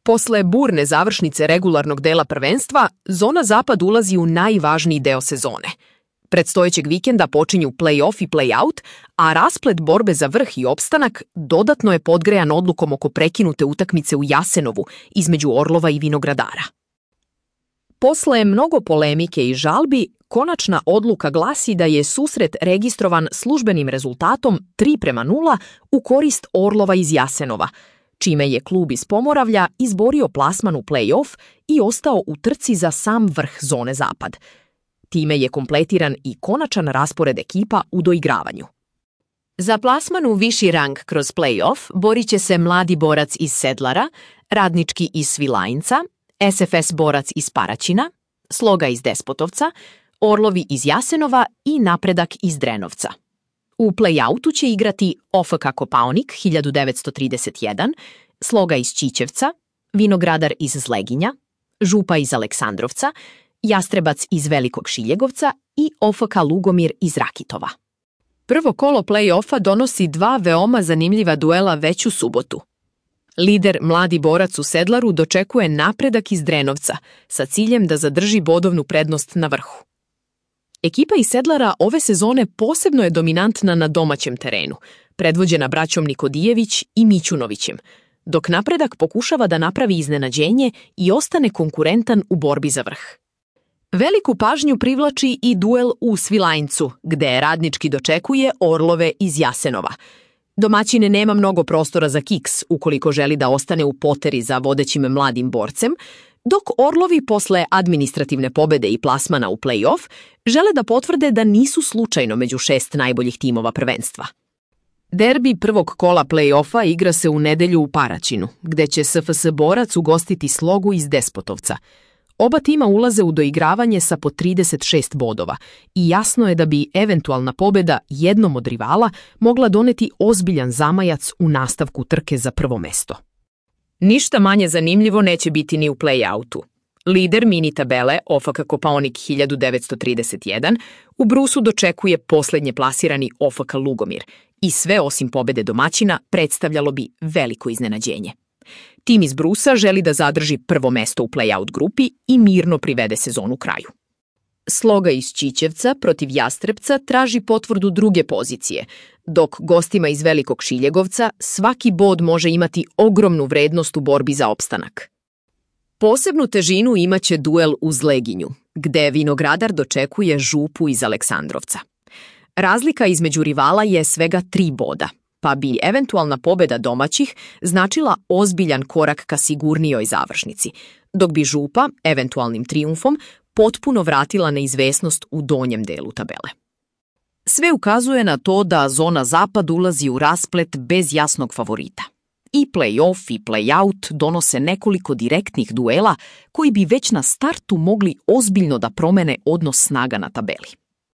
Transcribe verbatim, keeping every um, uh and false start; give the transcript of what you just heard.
Posle burne završnice regularnog dela prvenstva, zona zapad ulazi u najvažniji deo sezone. Predstojećeg vikenda počinju play-off i play-out, a rasplet borbe za vrh i opstanak dodatno je podgrejan odlukom oko prekinute utakmice u Jasenovu između Orlova i Vinogradara. Posle mnogo polemike i žalbi, konačna odluka glasi da je susret registrovan službenim rezultatom tri prema nula u korist Orlova iz Jasenova, čime je klub iz Pomoravlja izborio plasman u play-off i ostao u trci za sam vrh zone zapad. Time je kompletiran i konačan raspored ekipa u doigravanju. Za plasman u viši rang kroz play-off borit će se Mladi borac iz Sedlara, Radnički iz Svilajnca, S F S borac iz Paraćina, Sloga iz Despotovca, Orlovi iz Jasenova i Napredak iz Drenovca. U play-outu će igrati O F K Kopaonik hiljadu devetsto trideset jedan, Sloga iz Ćićevca, Vinogradar iz Zleginja, Župa iz Aleksandrovca, Jastrebac iz Velikog Šiljegovca i O F K Lugomir iz Rakitova. Prvo kolo play-offa donosi dva veoma zanimljiva duela već u subotu. Lider Mladi borac u Sedlaru dočekuje Napredak iz Drenovca sa ciljem da zadrži bodovnu prednost na vrhu. Ekipa iz Sedlara ove sezone posebno je dominantna na domaćem terenu, predvođena braćom Nikodijević i Mićunovićem, dok Napredak pokušava da napravi iznenađenje i ostane konkurentan u borbi za vrh. Veliku pažnju privlači i duel u Svilajncu, gde Radnički dočekuje Orlove iz Jasenova. Domaćin nema mnogo prostora za kiks ukoliko želi da ostane u poteri za vodećim Mladim borcem, dok Orlovi posle administrativne pobede i plasmana u play-off žele da potvrde da nisu slučajno među šest najboljih timova prvenstva. Derbi prvog kola play-offa igra se u nedelju u Paraćinu, gde će S F S borac ugostiti Slogu iz Despotovca. Oba tima ulaze u doigravanje sa po trideset šest bodova i jasno je da bi eventualna pobeda jednom od rivala mogla doneti ozbiljan zamajac u nastavku trke za prvo mesto. Ništa manje zanimljivo neće biti ni u play-outu. Lider mini tabele O F K Kopaonik hiljadu devetsto trideset jedan u Brusu dočekuje poslednje plasirani O F K Lugomir i sve osim pobede domaćina predstavljalo bi veliko iznenađenje. Tim iz Brusa želi da zadrži prvo mesto u play-out grupi i mirno privede sezonu kraju. Sloga iz Ćićevca protiv Jastrebca traži potvrdu druge pozicije, dok gostima iz Velikog Šiljegovca svaki bod može imati ogromnu vrednost u borbi za opstanak. Posebnu težinu imaće duel u Zleginju, gde Vinogradar dočekuje Župu iz Aleksandrovca. Razlika između rivala je svega tri boda, pa bi eventualna pobeda domaćih značila ozbiljan korak ka sigurnijoj završnici, dok bi Župa, eventualnim trijumfom, potpuno vratila neizvesnost u donjem delu tabele. Sve ukazuje na to da zona zapad ulazi u rasplet bez jasnog favorita. I play-off i play-out donose nekoliko direktnih duela koji bi već na startu mogli ozbiljno da promene odnos snaga na tabeli.